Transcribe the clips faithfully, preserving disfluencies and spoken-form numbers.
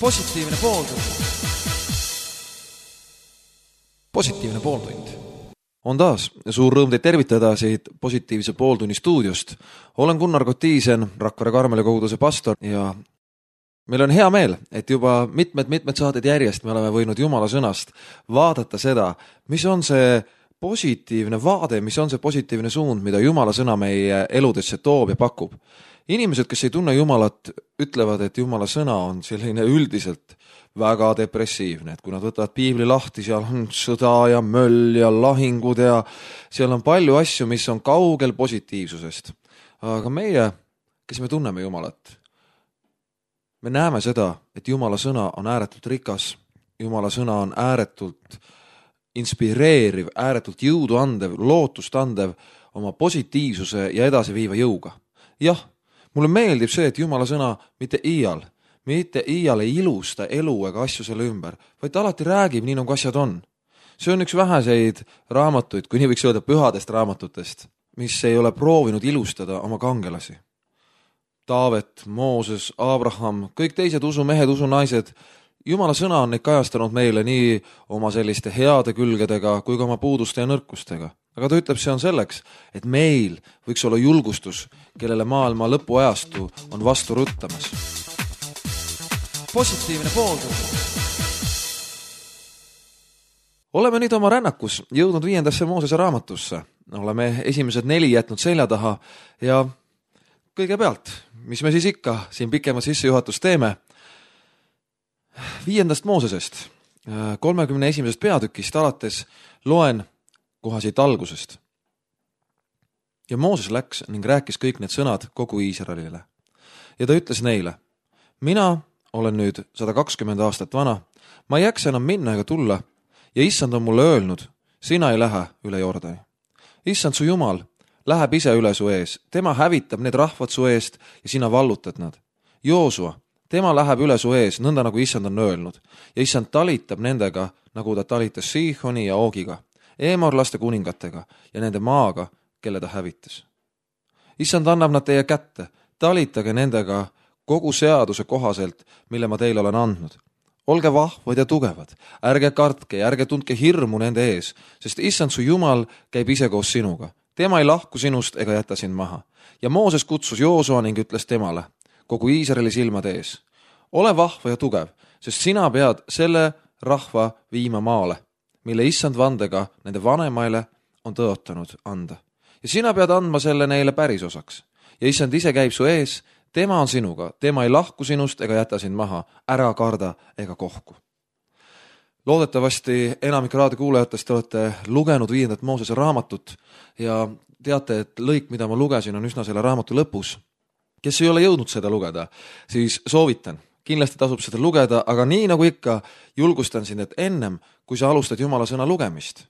positiivne pooltund. Positiivne pooltund. On taas suur rõõm teid tervitada siit positiivse pooltunni stuudiost. Olen Gunnar Kotiisen, Rakvere Karmeli koguduse pastor ja meil on hea meel, et juba mitmed-mitmed saated järjest me oleme võinud Jumala sõnast vaadata seda, mis on see positiivne vaade, mis on see positiivne suund, mida Jumala sõna meie eludesse toob ja pakub. Inimesed, kes ei tunne Jumalat, ütlevad, et Jumala sõna on selline üldiselt väga depressiivne, et kui nad võtavad piibli lahti, seal on sõda ja möll ja lahingud ja seal on palju asju, mis on kaugel positiivsusest. Aga meie, kes me tunneme Jumalat, me näeme seda, et Jumala sõna on ääretult rikas, Jumala sõna on ääretult inspireeriv, ääretult jõudu andev, lootust andev oma positiivsuse ja edasiviiva jõuga. Jah, mulle meeldib see, et Jumala sõna mitte iial, mitte iial ei ilusta elu ega asju selle ümber, vaid ta alati räägib nii, nagu asjad on. See on üks väheseid raamatuid, kui nii võiks öelda pühadest raamatutest, mis ei ole proovinud ilustada oma kangelasi. Taavet, Mooses, Abraham, kõik teised usumehed, usunaised, Jumala sõna on neid kajastanud meile nii oma selliste heade külgedega kui ka oma puuduste ja nõrkustega. Aga ta ütleb, see on selleks, et meil võiks olla julgustus, kellele maailma lõpuajastu on vastu ruttamas. Positiivne pooltund. Oleme nüüd oma rännakus jõudnud viiendasse Moosese raamatusse. Oleme esimesed neli jätnud selja taha ja kõigepealt, mis me siis ikka siin pikema sissejuhatust teeme, viiendast Moosesest, kolmekümne esimesest peatükist alates loen koha siit algusest. Ja Mooses läks ning rääkis kõik need sõnad kogu Iisraelile. Ja ta ütles neile, mina olen nüüd sada kakskümmend aastat vana, ma ei jaksa enam minna ega tulla ja issand on mulle öelnud, sina ei lähe üle Jordani. Issand su Jumal läheb ise üle su ees, tema hävitab need rahvad su eest ja sina vallutad nad. Joosua, tema läheb üle su ees, nõnda nagu issand on öelnud ja issand talitab nendega, nagu ta talitas Siihoni ja Oogiga, eemorlaste kuningatega ja nende maaga, kelle ta hävitas. Issand annab nad teie kätte, talitage nendega kogu seaduse kohaselt, mille ma teile olen andnud. Olge vahvad ja tugevad, ärge kartke ja ärge tundke hirmu nende ees, sest issand su Jumal käib ise koos sinuga. Tema ei lahku sinust ega jäta sind maha. Ja Mooses kutsus Joosua ning ütles temale, kogu Iisraeli silmade ees, ole vahva ja tugev, sest sina pead selle rahva viima maale, mille issand vandega nende vanemaile on tõotanud anda. Ja sina pead andma selle neile päris osaks. Ja issand ise käib su ees, tema on sinuga, tema ei lahku sinust ega jäta sind maha, ära karda ega kohku. Loodetavasti enamik raadiokuulajatest olete lugenud viiendat Moosese raamatut ja teate, et lõik, mida ma lugesin, on üsna selle raamatu lõpus. Kes ei ole jõudnud seda lugeda, siis soovitan. Kindlasti tasub seda lugeda, aga nii nagu ikka julgustan sind, et ennem, kui sa alustad Jumala sõna lugemist,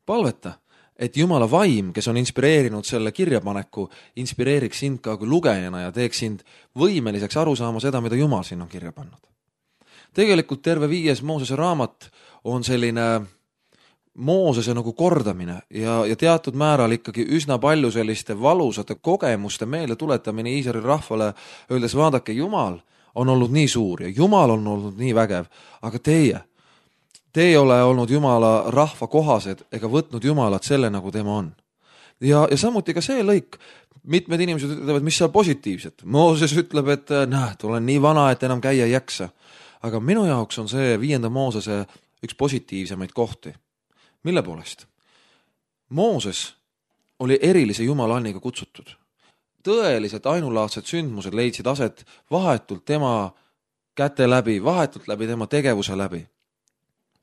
palveta, et Jumala vaim, kes on inspireerinud selle kirjapaneku, inspireeriks sind ka kui lugejana ja teeks sind võimeliseks aru saama seda, mida Jumal siin on kirja pannud. Tegelikult terve viies Moosese raamat on selline Moosese nagu kordamine ja, ja teatud määral ikkagi üsna palju selliste valusate kogemuste meelde tuletamine Iisraeli rahvale, öeldes vaadake, Jumal on olnud nii suur ja Jumal on olnud nii vägev, aga teie, te ei ole olnud Jumala rahva kohased ega võtnud Jumalat selle, nagu tema on. Ja, ja samuti ka see lõik, mitmed inimesed ütlevad, mis seal positiivset. Mooses ütleb, et näed, olen nii vana, et enam käia ei jaksa. Aga minu jaoks on see viienda Moosese üks positiivsemaid kohti. Mille poolest? Mooses oli erilise Jumala-anniga kutsutud. Tõeliselt ainulaadsed sündmused leidsid aset vahetult tema käte läbi, vahetult läbi tema tegevuse läbi.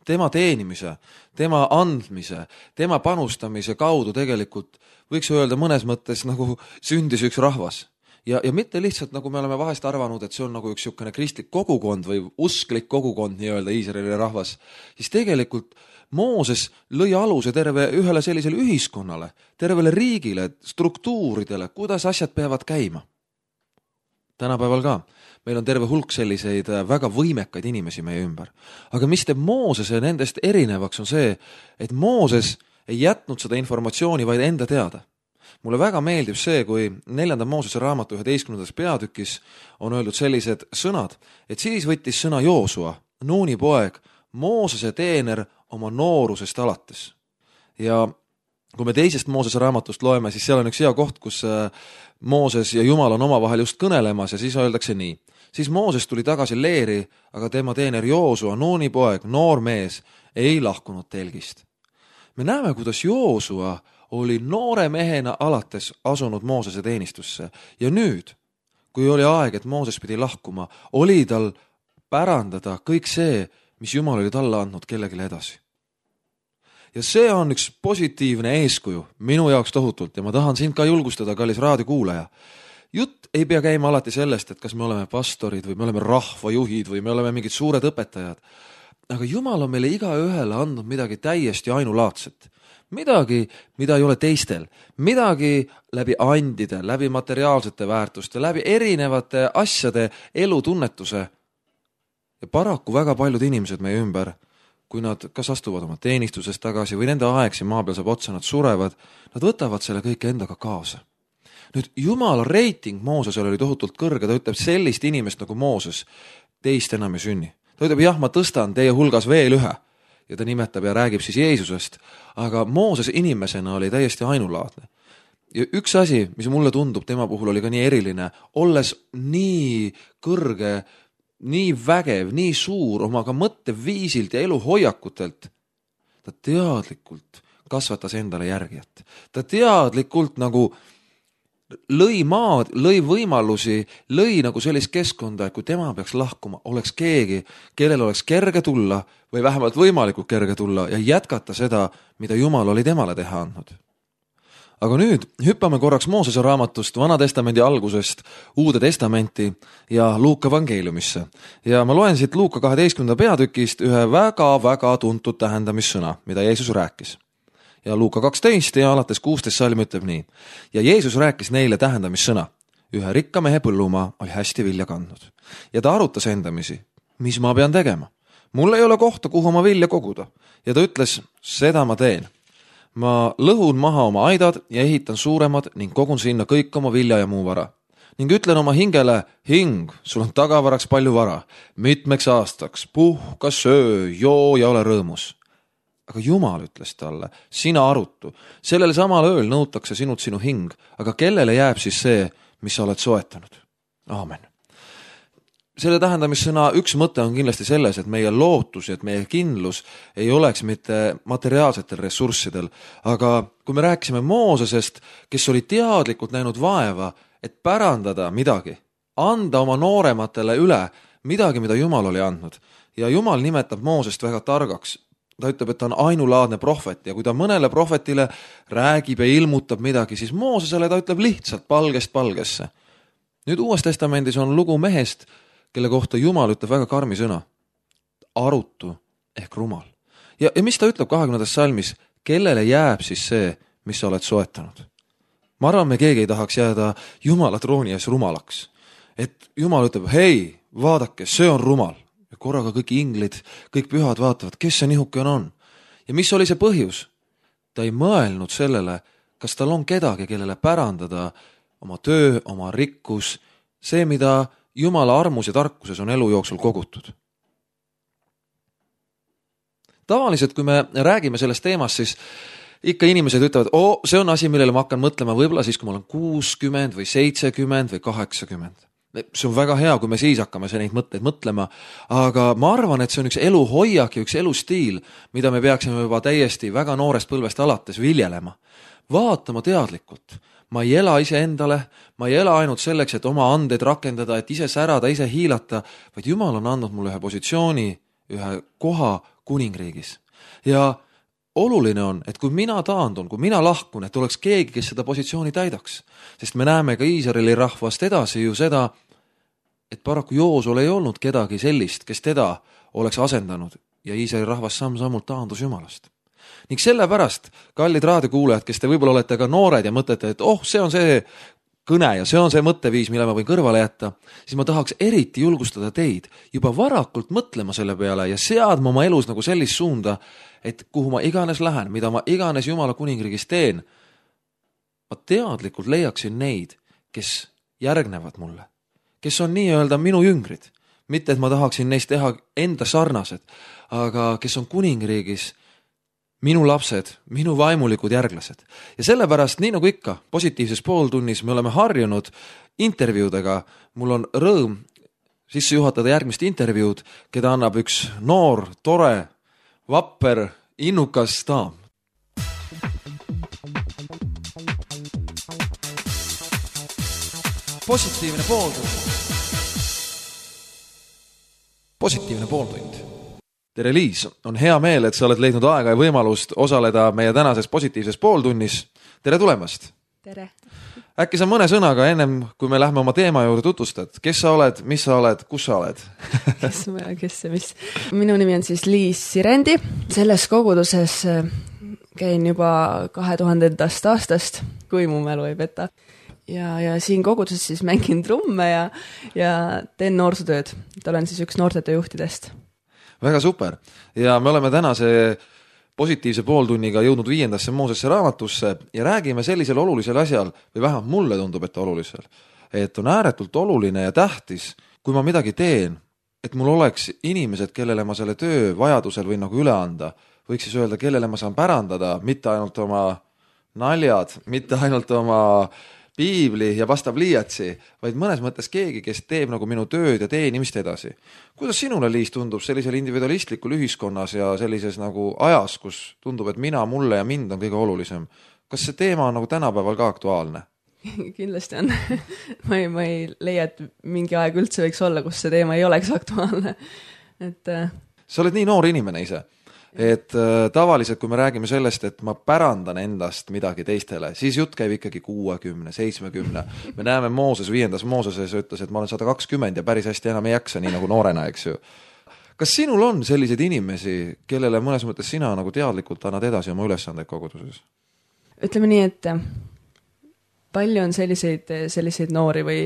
Tema teenimise, tema andmise, tema panustamise kaudu tegelikult võiks öelda mõnes mõttes nagu sündis üks rahvas. Ja, ja mitte lihtsalt, nagu me oleme vahest arvanud, et see on nagu üks niisugune kristlik kogukond või usklik kogukond, nii-öelda Iisraeli rahvas, siis tegelikult Mooses lõi aluse terve ühele sellisele ühiskonnale, tervele riigile, struktuuridele, kuidas asjad peavad käima. Tänapäeval ka. Meil on terve hulk selliseid väga võimekaid inimesi meie ümber. Aga mis teeb Moosese nendest erinevaks on see, et Mooses ei jätnud seda informatsiooni vaid enda teada. mulle väga meeldib see, kui neljanda Moosese raamatu üheteistkümnendas peatükis on öeldud sellised sõnad, et siis võttis sõna Joosua, Nuuni poeg, Moosese teener oma noorusest alates. Ja kui me teisest Moosese raamatust loeme, siis seal on üks hea koht, kus Mooses ja Jumal on omavahel just kõnelemas ja siis öeldakse nii. Siis Mooses tuli tagasi leeri, aga tema teener Joosua, Nuuni poeg, noor mees, ei lahkunud telgist. Me näeme, kuidas Joosua oli noore mehena alates asunud Moosese teenistusse ja nüüd, kui oli aeg, et Mooses pidi lahkuma, oli tal pärandada kõik see, mis Jumal oli talle andnud kellegile edasi. Ja see on üks positiivne eeskuju minu jaoks tohutult ja ma tahan sind ka julgustada, kallis raadiokuulaja. Jutt ei pea käima alati sellest, et kas me oleme pastorid või me oleme rahvajuhid või me oleme mingid suured õpetajad. Aga Jumal on meile iga ühele andnud midagi täiesti ainulaadset. Midagi, mida ei ole teistel. Midagi läbi andide, läbi materiaalsete väärtuste, läbi erinevate asjade elutunnetuse. Ja paraku väga paljud inimesed meie ümber, kui nad kas astuvad oma teenistusest tagasi või nende aeg siin maa peal saab otsa, nad surevad, nad võtavad selle kõike endaga kaasa. Nüüd Jumala reiting Moosesel oli tohutult kõrge, ta ütleb sellist inimest nagu Mooses, teist enam ei sünni. Ta ütleb, jah, ma tõstan teie hulgas veel ühe ja ta nimetab ja räägib siis Jeesusest, aga Mooses inimesena oli täiesti ainulaadne. Ja üks asi, mis mulle tundub tema puhul oli ka nii eriline, olles nii kõrge, nii vägev, nii suur oma ka mõtteviisilt ja eluhoiakutelt, ta teadlikult kasvatas endale järgijat. Ta teadlikult nagu lõi maad, lõi võimalusi, lõi nagu sellist keskkonda, et kui tema peaks lahkuma, oleks keegi, kellel oleks kerge tulla või vähemalt võimalikult kerge tulla ja jätkata seda, mida Jumal oli temale teha andnud. Aga nüüd hüppame korraks Moosese raamatust Vana testamendi algusest Uude testamenti ja Luuka evangeeliumisse. Ja ma loen siit Luuka kaheteistkümnenda peatükist ühe väga-väga tuntud tähendamissõna, mida Jeesus rääkis. Ja Luuka kaksteist ja alates kuusteist salm ütleb nii. Ja Jeesus rääkis neile tähendamissõna. Ühe rikka mehe põllumaa oli hästi vilja kandnud. Ja ta arutas endamisi, mis ma pean tegema. Mul ei ole kohta, kuhu oma vilja koguda. Ja ta ütles, seda ma teen. Ma lõhun maha oma aidad ja ehitan suuremad ning kogun sinna kõik oma vilja ja muu vara. Ning ütlen oma hingele, hing, sul on tagavaraks palju vara. Mitmeks aastaks, puhka, söö, joo ja ole rõõmus. Aga Jumal ütles talle, sina arutu, sellele samal ööl nõutakse sinut sinu hing, aga kellele jääb siis see, mis sa oled soetanud? Aamen. Selle tähendamissõna üks mõte on kindlasti selles, et meie lootus ja et meie kindlus ei oleks mitte materiaalsetel ressurssidel, aga kui me rääkisime Moosesest, kes oli teadlikult näinud vaeva, et pärandada midagi, anda oma noorematele üle midagi, mida Jumal oli andnud. Ja Jumal nimetab Moosest väga targaks. Ta ütleb, et ta on ainulaadne prohvet ja kui ta mõnele prohvetile räägib ja ilmutab midagi, siis Moosesele ta ütleb lihtsalt palgest palgesse. Nüüd Uues testamendis on lugu mehest, kelle kohta Jumal ütleb väga karmi sõna. Arutu ehk rumal. Ja, ja mis ta ütleb kahekümnendas salmis? Kellele jääb siis see, mis sa oled soetanud? Ma arvan, me keegi ei tahaks jääda Jumala trooni ees rumalaks. Et Jumal ütleb, hei, vaadake, see on rumal. Ja korraga kõik inglid, kõik pühad vaatavad, kes see nihukene on. Ja mis oli see põhjus? Ta ei mõelnud sellele, kas tal on kedagi, kellele pärandada oma töö, oma rikkus, see, mida Jumala armus ja tarkuses on elu jooksul kogutud. Tavaliselt, kui me räägime sellest teemast, siis ikka inimesed ütlevad, oo, see on asi, millele ma hakkan mõtlema võib-olla siis, kui ma olen kuuskümmend või seitsekümmend või kaheksakümmend. See on väga hea, kui me siis hakkame see neid mõtteid mõtlema, aga ma arvan, et see on üks eluhoiak ja üks elustiil, mida me peaksime juba täiesti väga noorest põlvest alates viljelema. Vaatama teadlikult. Ma ei ela ise endale, ma ei ela ainult selleks, et oma andeid rakendada, et ise särada, ise hiilata, vaid Jumal on andnud mulle ühe positsiooni, ühe koha kuningriigis. Ja oluline on, et kui mina taandun, kui mina lahkun, et oleks keegi, kes seda positsiooni täidaks. Sest me näeme ka Iisraeli rahvast edasi ju seda, et paraku Joosol ei olnud kedagi sellist, kes teda oleks asendanud ja Iisraeli rahvas samm-sammult taandus Jumalast. Ning sellepärast, kallid raadiokuulajad, kes te võib-olla olete ka noored ja mõtlete, et oh, see on see kõne ja see on see mõtteviis, mille ma võin kõrvale jätta, siis ma tahaks eriti julgustada teid juba varakult mõtlema selle peale ja seadma oma elus nagu sellist suunda, et kuhu ma iganes lähen, mida ma iganes Jumala kuningriigis teen, ma teadlikult leiaksin neid, kes järgnevad mulle, kes on nii-öelda minu jüngrid. Mitte, et ma tahaksin neist teha enda sarnased, aga kes on kuningriigis minu lapsed, minu vaimulikud järglased. Ja sellepärast, nii nagu ikka, positiivses pooltunnis me oleme harjunud intervjuudega. Mul on rõõm sisse juhatada järgmist intervjuud, keda annab üks noor, tore, vapper, innukas daam. Positiivne pooltund. Positiivne pooltund. Tere Liis, on hea meel, et sa oled leidnud aega ja võimalust osaleda meie tänases positiivses pooltunnis. Tere tulemast! Tere! Äkki sa mõne sõnaga ennem, kui me lähme oma teema juurde tutvustad, kes sa oled, mis sa oled, kus sa oled? kes ma ja kes ja mis? Minu nimi on siis Liis Sirendi. Selles koguduses käin juba kahe tuhandendast aastast, kui mu mälu ei peta. Ja, ja siin koguduses siis mängin trumme ja, ja teen noorsootööd. Olen siis üks noortete juhtidest. Väga super. Ja me oleme tänase positiivse pooltunniga jõudnud viiendasse Moosesse raamatusse ja räägime sellisel olulisel asjal, või vähemalt mulle tundub, et olulisel, et on ääretult oluline ja tähtis, kui ma midagi teen, et mul oleks inimesed, kellele ma selle töö vajadusel võin nagu üle anda, võiks siis öelda, kellele ma saan pärandada, mitte ainult oma naljad, mitte ainult oma piibli ja vastav liiatsi, vaid mõnes mõttes keegi, kes teeb nagu minu tööd ja teenimist edasi. Kuidas sinule, Liis, tundub sellisel individualistlikul ühiskonnas ja sellises nagu ajas, kus tundub, et mina, mulle ja mind on kõige olulisem? Kas see teema on nagu tänapäeval ka aktuaalne? Kindlasti on. ma, ei, ma ei leia, et mingi aeg üldse võiks olla, kus see teema ei oleks aktuaalne. Et... Sa oled nii noor inimene ise. Et äh, tavaliselt, kui me räägime sellest, et ma pärandan endast midagi teistele, siis jutt käib ikkagi kuuekümne, seitsmekümne. Me näeme Mooses, viiendas Mooseses ütles, et ma olen sada kakskümmend ja päris hästi enam ei jaksa, nii nagu noorena, eks ju. Kas sinul on selliseid inimesi, kellele mõnes mõttes sina nagu teadlikult annad edasi oma ülesandeid koguduses? Ütleme nii, et palju on selliseid, selliseid noori või,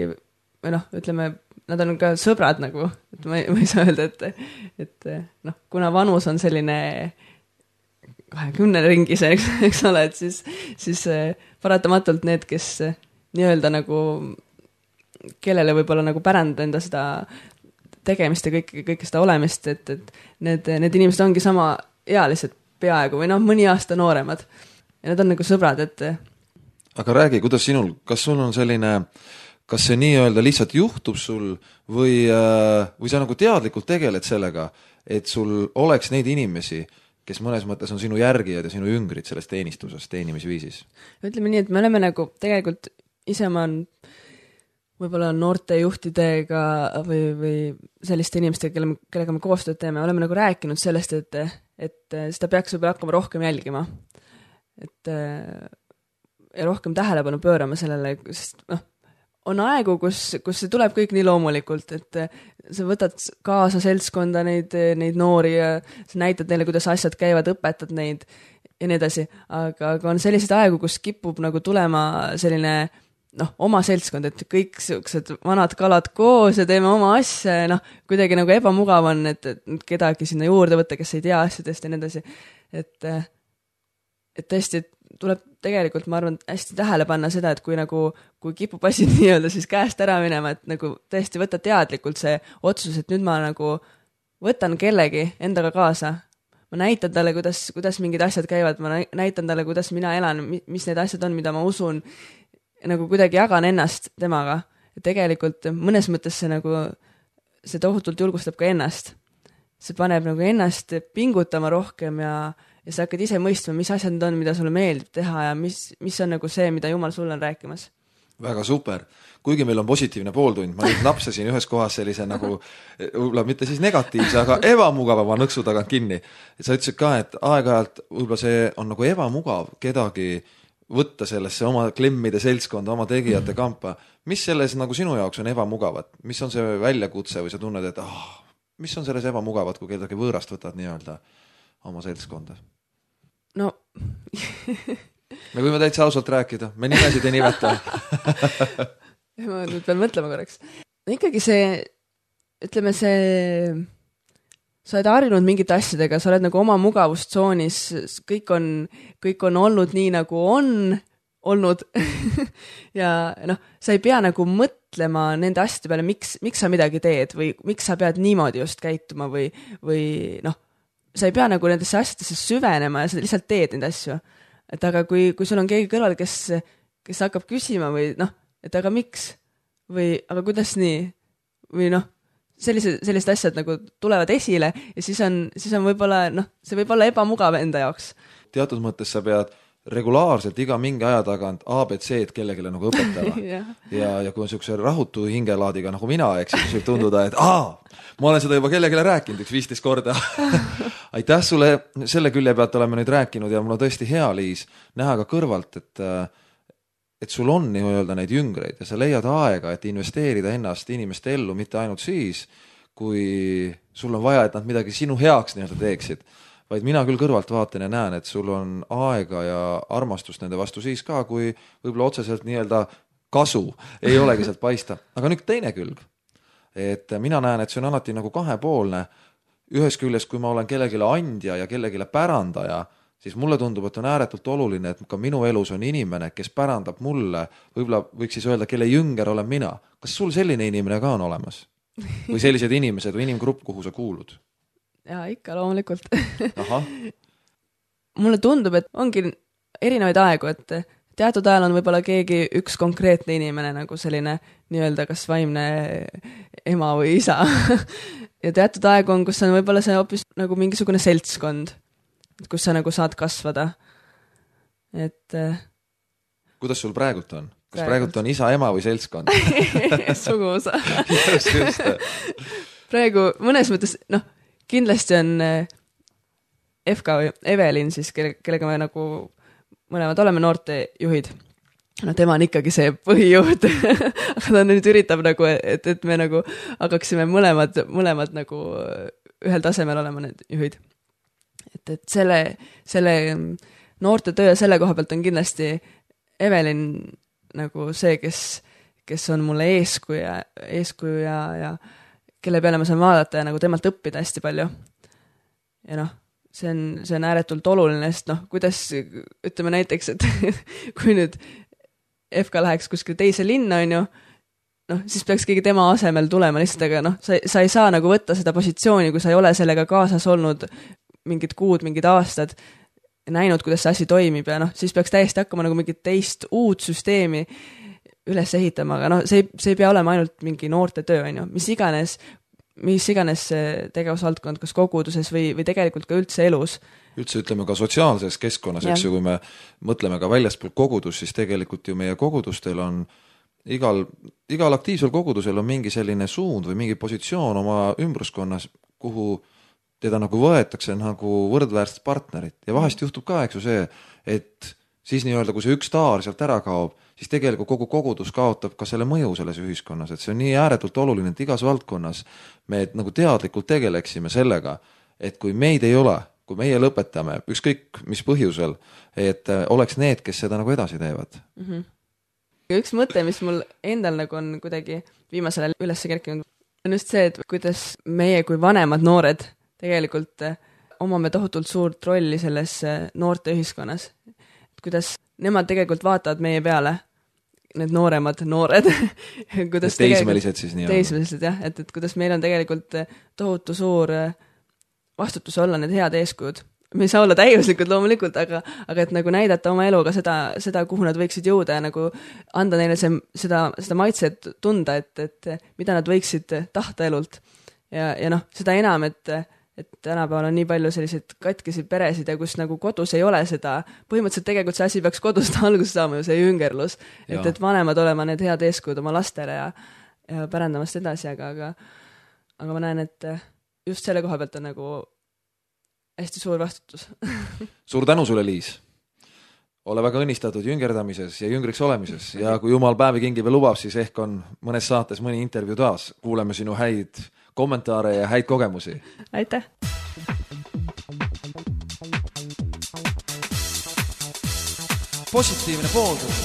või noh, ütleme, nad on ka sõbrad nagu, et ma ei, ma ei saa öelda, et, et noh, kuna vanus on selline kahekümne ringis, eks, eks ole, et siis, siis paratamatult need, kes nii-öelda nagu, kellele võib-olla nagu pärandada enda seda tegemist ja kõik, kõik seda olemist, et, et need, need inimesed ongi sama ealised peaaegu või noh, mõni aasta nooremad ja nad on nagu sõbrad, et aga räägi, kuidas sinul, kas sul on selline kas see nii-öelda lihtsalt juhtub sul või, või sa nagu teadlikult tegeled sellega, et sul oleks neid inimesi, kes mõnes mõttes on sinu järgijad ja sinu jüngrid selles teenistuses, teenimisviisis? Ütleme nii, et me oleme nagu tegelikult ise ma on võib-olla noorte juhtidega või, või selliste inimestega, kelle, kellega me koostööd teeme, oleme nagu rääkinud sellest, et, et seda peaks võib-olla hakkama rohkem jälgima. Et ja rohkem tähelepanu pöörama sellele, sest noh, on aegu, kus, kus see tuleb kõik nii loomulikult, et sa võtad kaasa seltskonda neid, neid noori ja sa näitad neile, kuidas asjad käivad, õpetad neid ja nii edasi. Aga, aga on selliseid aegu, kus kipub nagu tulema selline noh, oma seltskond, et kõik siuksed vanad kalad koos ja teeme oma asja ja noh, kuidagi nagu ebamugav on, et, et kedagi sinna juurde võtta, kes ei tea asjadest ja nii edasi. Et, et tõesti, et tuleb tegelikult, ma arvan, hästi tähele panna seda, et kui nagu, kui kipub asi nii-öelda siis käest ära minema, et nagu tõesti võtta teadlikult see otsus, et nüüd ma nagu võtan kellegi endaga kaasa. Ma näitan talle, kuidas, kuidas mingid asjad käivad, ma näitan talle, kuidas mina elan, mis need asjad on, mida ma usun, ja nagu kuidagi jagan ennast temaga. Ja tegelikult mõnes mõttes see nagu, see tohutult julgustab ka ennast. See paneb nagu ennast pingutama rohkem ja ja sa hakkad ise mõistma, mis asjad need on, mida sulle meeldib teha ja mis, mis on nagu see, mida Jumal sulle on rääkimas. Väga super. Kuigi meil on positiivne pooltund, ma nüüd napsasin ühes kohas sellise nagu, võib-olla mitte siis negatiivse, aga ebamugavama nõksu tagant kinni. Sa ütlesid ka, et aeg-ajalt võib-olla see on nagu ebamugav kedagi võtta sellesse oma klemmide seltskonda, oma tegijate kampa. Mis selles nagu sinu jaoks on ebamugavat? Mis on see väljakutse või sa tunned, et oh, mis on selles ebamugavat, kui kedagi võõrast võtad nii-öelda oma seltskonda? No me võime täitsa ausalt rääkida, me nimesid ei nimeta. ma nüüd pean mõtlema korraks. Ikkagi see, ütleme see, sa oled harjunud mingite asjadega, sa oled nagu oma mugavustsoonis, kõik on, kõik on olnud nii nagu on olnud ja noh, sa ei pea nagu mõtlema nende asjade peale, miks, miks sa midagi teed või miks sa pead niimoodi just käituma või, või noh, sa ei pea nagu nendesse asjadesse süvenema ja sa lihtsalt teed neid asju. Et aga kui, kui sul on keegi kõrval, kes, kes hakkab küsima või noh, et aga miks või aga kuidas nii või noh, sellised, sellised asjad nagu tulevad esile ja siis on, siis on võib-olla noh, see võib olla ebamugav enda jaoks. Teatud mõttes sa pead regulaarselt iga mingi aja tagant A B C-d kellegile nagu õpetama ja, ja, ja kui on niisuguse rahutu hingelaadiga nagu mina, eks siis võib tunduda, et aa, ma olen seda juba kellegile rääkinud üks viisteist korda aitäh sulle, selle külje pealt oleme nüüd rääkinud ja mul on tõesti hea, Liis, näha ka kõrvalt, et et sul on nii-öelda neid jüngreid ja sa leiad aega, et investeerida ennast inimeste ellu mitte ainult siis, kui sul on vaja, et nad midagi sinu heaks nii-öelda teeksid, vaid mina küll kõrvalt vaatan ja näen, et sul on aega ja armastust nende vastu siis ka, kui võib-olla otseselt nii-öelda kasu ei olegi sealt paista. Aga nüüd teine külg, et mina näen, et see on alati nagu kahepoolne. Ühes küljes, kui ma olen kellegile andja ja kellegile pärandaja, siis mulle tundub, et on ääretult oluline, et ka minu elus on inimene, kes pärandab mulle, võib-olla võiks siis öelda, kelle jünger olen mina. Kas sul selline inimene ka on olemas? Või sellised inimesed või inimgrupp, kuhu sa kuulud? Jaa, ikka loomulikult. Aha. Mulle tundub, et ongi erinevaid aegu, et teatud ajal on võib-olla keegi üks konkreetne inimene nagu selline nii-öelda kas vaimne ema või isa. ja teatud aegu on, kus on võib-olla see hoopis nagu mingisugune seltskond, kus sa nagu saad kasvada. Et kuidas sul praegult on? Kas praegult, praegult on isa, ema või seltskond? Suguvõsa. just, just. Praegu mõnes mõttes, noh, kindlasti on F K või Evelin siis, kelle, kellega me nagu mõlemad oleme noortejuhid. No tema on ikkagi see põhijuht, aga ta nüüd üritab nagu, et, et me nagu hakaksime mõlemad, mõlemad nagu ühel tasemel olema need juhid. Et, et selle, selle noorte töö selle koha pealt on kindlasti Evelin nagu see, kes, kes on mulle eeskuja, eeskuju ja, ja kelle peale ma saan vaadata ja nagu temalt õppida hästi palju. Ja noh, see on, see on ääretult oluline, sest noh, kuidas, ütleme näiteks, et kui nüüd F K läheks kuskil teise linna, on ju, noh, siis peaks keegi tema asemel tulema lihtsalt, aga noh, sa, sa ei saa nagu võtta seda positsiooni, kui sa ei ole sellega kaasas olnud mingid kuud, mingid aastad, näinud, kuidas see asi toimib ja noh, siis peaks täiesti hakkama nagu mingit teist uut süsteemi üles ehitama, aga noh, see, see ei pea olema ainult mingi noorte töö, on ju, mis iganes, mis iganes tegevusvaldkond, kas koguduses või, või tegelikult ka üldse elus. Üldse ütleme ka sotsiaalses keskkonnas, eks ju, kui me mõtleme ka väljaspool kogudus, siis tegelikult ju meie kogudustel on igal, igal aktiivsel kogudusel on mingi selline suund või mingi positsioon oma ümbruskonnas, kuhu teda nagu võetakse nagu võrdväärset partnerit ja vahest juhtub ka, eks ju see, et siis nii-öelda, kui see üks staar sealt ära kaob, siis tegelikult kogu kogudus kaotab ka selle mõju selles ühiskonnas, et see on nii ääretult oluline, et igas valdkonnas me nagu teadlikult tegeleksime sellega, et kui meid ei ole, kui meie lõpetame, ükskõik mis põhjusel, et oleks need, kes seda nagu edasi teevad. Mm-hmm. Ja üks mõte, mis mul endal nagu on kuidagi viimasel ajal üles kerkinud, on just see, et kuidas meie kui vanemad noored tegelikult omame tohutult suurt rolli selles noorte ühiskonnas. Kuidas nemad tegelikult vaatavad meie peale, need nooremad noored. kuidas teismelised siis nii on. Teismelised, jah, et, et kuidas meil on tegelikult tohutu suur vastutus olla need head eeskujud. Me ei saa olla täiuslikud loomulikult, aga, aga et nagu näidata oma eluga seda, seda, kuhu nad võiksid jõuda ja nagu anda neile see, seda, seda maitset tunda, et, et mida nad võiksid tahta elult. Ja, ja noh, seda enam, et et tänapäeval on nii palju selliseid katkisi peresid ja kus nagu kodus ei ole seda, põhimõtteliselt tegelikult see asi peaks kodust alguse saama ju see jüngerlus, et, et vanemad olema need head eeskujud oma lastele ja, ja pärandamast edasi, aga, aga, aga ma näen, et just selle koha pealt on nagu hästi suur vastutus. Suur tänu sulle, Liis. Ole väga õnnistatud jüngerdamises ja jüngriks olemises ja kui Jumal päevi kingi veel lubab, siis ehk on mõnes saates mõni intervjuu taas. Kuuleme sinu häid kommentaare ja häid kogemusi. Aitäh! Positiivne pooltund.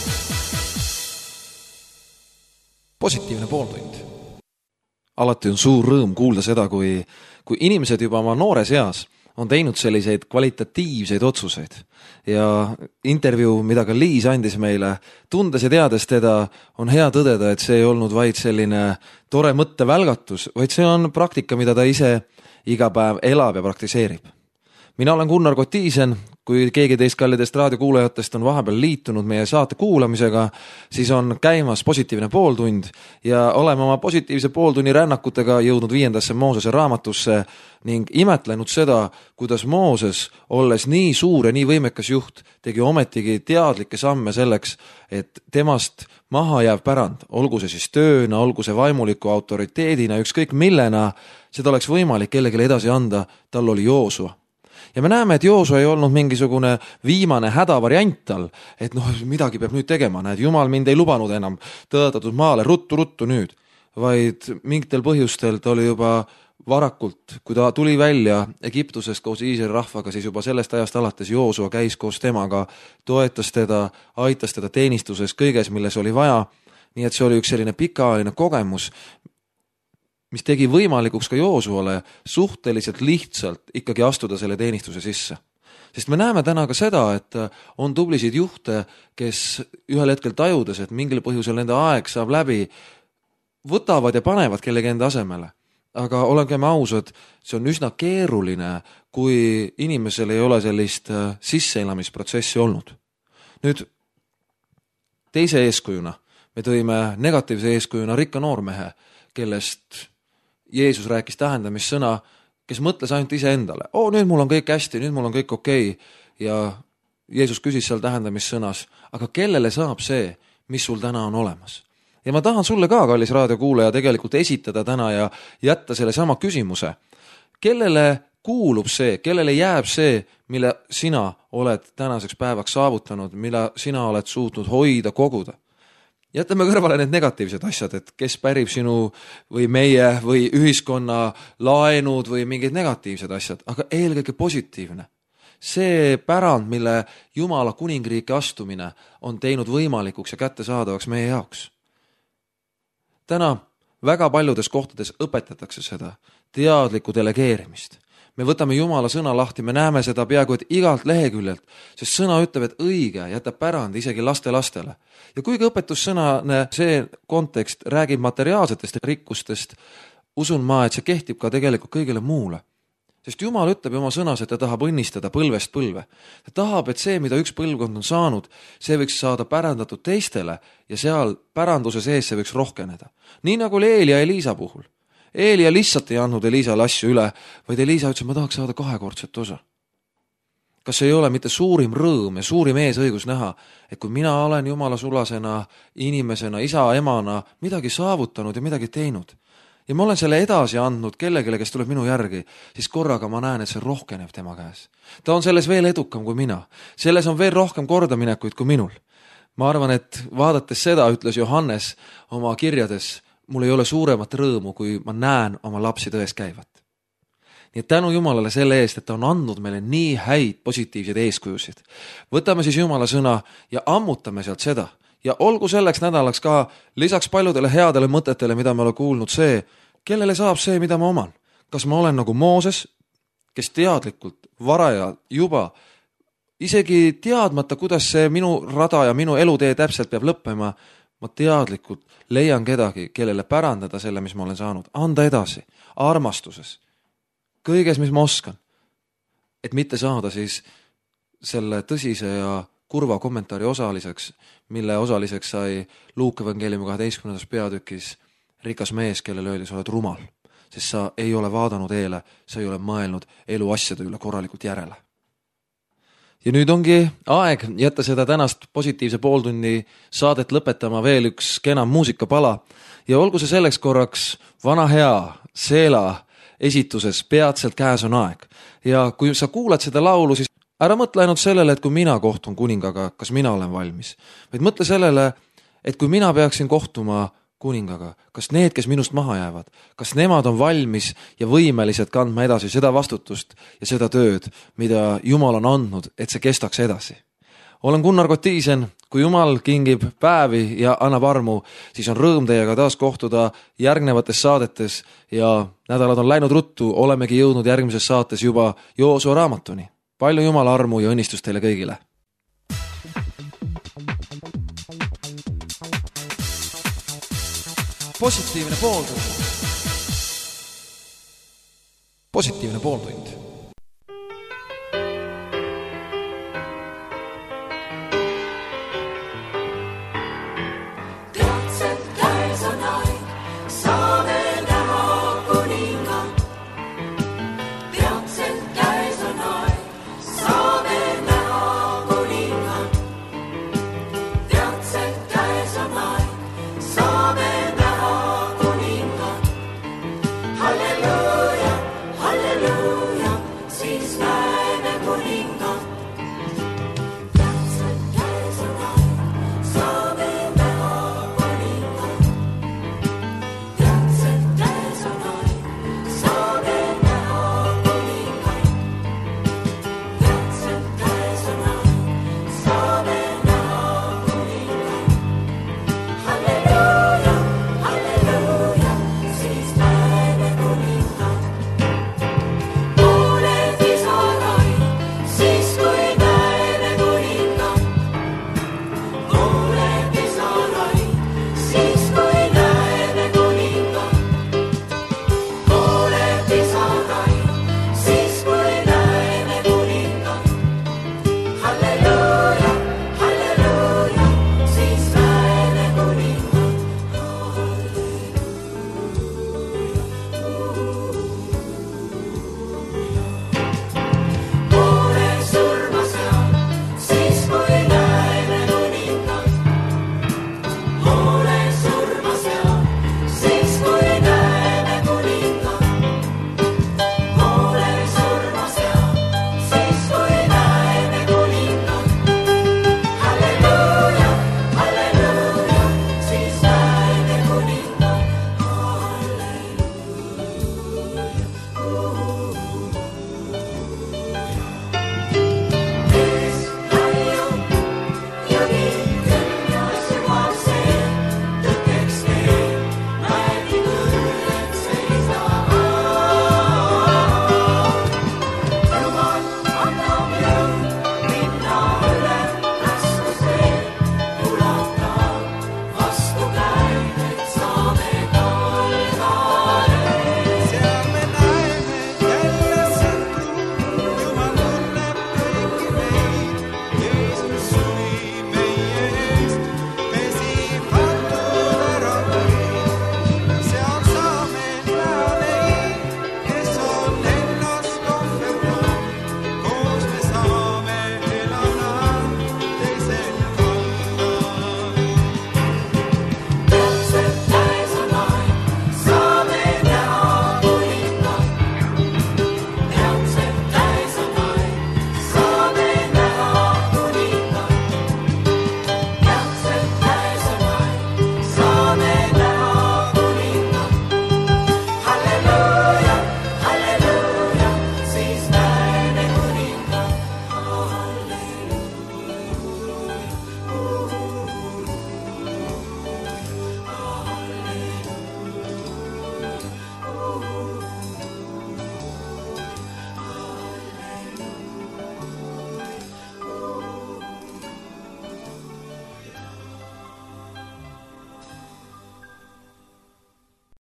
Positiivne pooltund. Alati on suur rõõm kuulda seda, kui, kui inimesed juba oma noores eas on teinud selliseid kvalitatiivseid otsuseid ja intervjuu, mida ka Liis andis meile, tundes ja teades teda, on hea tõdeda, et see ei olnud vaid selline tore mõttevälgatus, vaid see on praktika, mida ta ise iga päev elab ja praktiseerib. Mina olen Gunnar Kotiisen, kui keegi teist kallidest raadiokuulajatest on vahepeal liitunud meie saate kuulamisega, siis on käimas positiivne pooltund ja oleme oma positiivse pooltunni rännakutega jõudnud viiendasse Moosese raamatusse ning imetlenud seda, kuidas Mooses, olles nii suur ja nii võimekas juht, tegi ometigi teadlikke samme selleks, et temast maha jääv pärand, olgu see siis tööna, olgu see vaimuliku autoriteedina, ükskõik millena, seda oleks võimalik kellelegi edasi anda, tal oli Joosua. Ja me näeme, et Joosua ei olnud mingisugune viimane hädavariant tal, et noh, midagi peab nüüd tegema, näed, Jumal mind ei lubanud enam tõotatud maale, ruttu, ruttu nüüd, vaid mingitel põhjustel ta oli juba varakult, kui ta tuli välja Egiptusest koos Iisraeli rahvaga, siis juba sellest ajast alates Joosua käis koos temaga, toetas teda, aitas teda teenistuses kõiges, milles oli vaja, nii et see oli üks selline pikaajaline kogemus, mis tegi võimalikuks ka Joosuale suhteliselt lihtsalt ikkagi astuda selle teenistuse sisse. Sest me näeme täna ka seda, et on tublisid juhte, kes ühel hetkel tajudes, et mingil põhjusel nende aeg saab läbi, võtavad ja panevad kellegi enda asemele. Aga olengem ausad, see on üsna keeruline, kui inimesel ei ole sellist sisseelamisprotsessi olnud. Nüüd teise eeskujuna me tõime negatiivse eeskujuna rikka noormehe, kellest Jeesus rääkis tähendamissõna, kes mõtles ainult ise endale. Oo, nüüd mul on kõik hästi, nüüd mul on kõik okei. Ja Jeesus küsis seal tähendamissõnas, aga kellele saab see, mis sul täna on olemas? Ja ma tahan sulle ka, kallis raadiokuulaja, tegelikult esitada täna ja jätta selle sama küsimuse. Kellele kuulub see, kellele jääb see, mille sina oled tänaseks päevaks saavutanud, mille sina oled suutnud hoida, koguda? Jätame kõrvale need negatiivsed asjad, et kes pärib sinu või meie või ühiskonna laenud või mingid negatiivsed asjad, aga eelkõige positiivne. See pärand, mille Jumala kuningriiki astumine on teinud võimalikuks ja kättesaadavaks meie jaoks. Täna väga paljudes kohtades õpetatakse seda teadlikku delegeerimist. Me võtame Jumala sõna lahti, me näeme seda peaaegu et igalt leheküljelt, sest sõna ütleb, et õige jätab pärand isegi laste lastele. Ja kuigi õpetussõnane see kontekst räägib materiaalsetest rikkustest, usun ma, et see kehtib ka tegelikult kõigile muule. Sest Jumal ütleb oma sõnas, et ta tahab õnnistada põlvest põlve. Ta tahab, et see, mida üks põlvkond on saanud, see võiks saada pärandatud teistele ja seal päranduse sees see võiks rohkeneda. Nii nagu oli Eelia ja Eliisa puhul. Eelia lihtsalt ei andnud Eliisale asju üle, vaid Eliisa ütles, ma tahaks saada kahekordset osa. Kas ei ole mitte suurim rõõm ja suurim eesõigus näha, et kui mina olen Jumala sulasena, inimesena, isa, emana midagi saavutanud ja midagi teinud ja ma olen selle edasi andnud kellegile, kes tuleb minu järgi, siis korraga ma näen, et see rohkeneb tema käes. Ta on selles veel edukam kui mina. Selles on veel rohkem kordaminekuid kui minul. Ma arvan, et vaadates seda, ütles Johannes oma kirjades, mul ei ole suuremat rõõmu, kui ma näen oma lapsi tões käivat. Nii et tänu Jumalale selle eest, et ta on andnud meile nii häid positiivseid eeskujusid. Võtame siis Jumala sõna ja ammutame sealt seda. Ja olgu selleks nädalaks ka lisaks paljudele headele mõtetele, mida me oleme kuulnud see, kellele saab see, mida ma oman. Kas ma olen nagu Mooses, kes teadlikult varaja juba isegi teadmata, kuidas see minu rada ja minu elutee täpselt peab lõppema, ma teadlikult leian kedagi, kellele pärandada selle, mis ma olen saanud, anda edasi, armastuses, kõiges, mis ma oskan, et mitte saada siis selle tõsise ja kurva kommentaari osaliseks, mille osaliseks sai Luuka evangeeliumi kaheteistkümnendas peatükis rikas mees, kellele öeldi, sa oled rumal, sest sa ei ole vaadanud eele, sa ei ole mõelnud elu asjade üle korralikult järele. Ja nüüd ongi aeg jätta seda tänast positiivse pooltunni saadet lõpetama veel üks kena muusikapala ja olgu see selleks korraks vana hea Seela esituses peatselt käes on aeg. Ja kui sa kuulad seda laulu, siis ära mõtle ainult sellele, et kui mina kohtun kuningaga, kas mina olen valmis, vaid mõtle sellele, et kui mina peaksin kohtuma kuningaga, kas need, kes minust maha jäävad, kas nemad on valmis ja võimelised kandma edasi seda vastutust ja seda tööd, mida Jumal on andnud, et see kestaks edasi. olen Gunnar Kotiisen, kui Jumal kingib päevi ja annab armu, siis on rõõm teiega taas kohtuda järgnevates saadetes ja nädalad on läinud ruttu, olemegi jõudnud järgmises saates juba Joosua raamatuni. Palju Jumala armu ja õnnistust teile kõigile! Positiivne pooltund. Positiivne pooltund.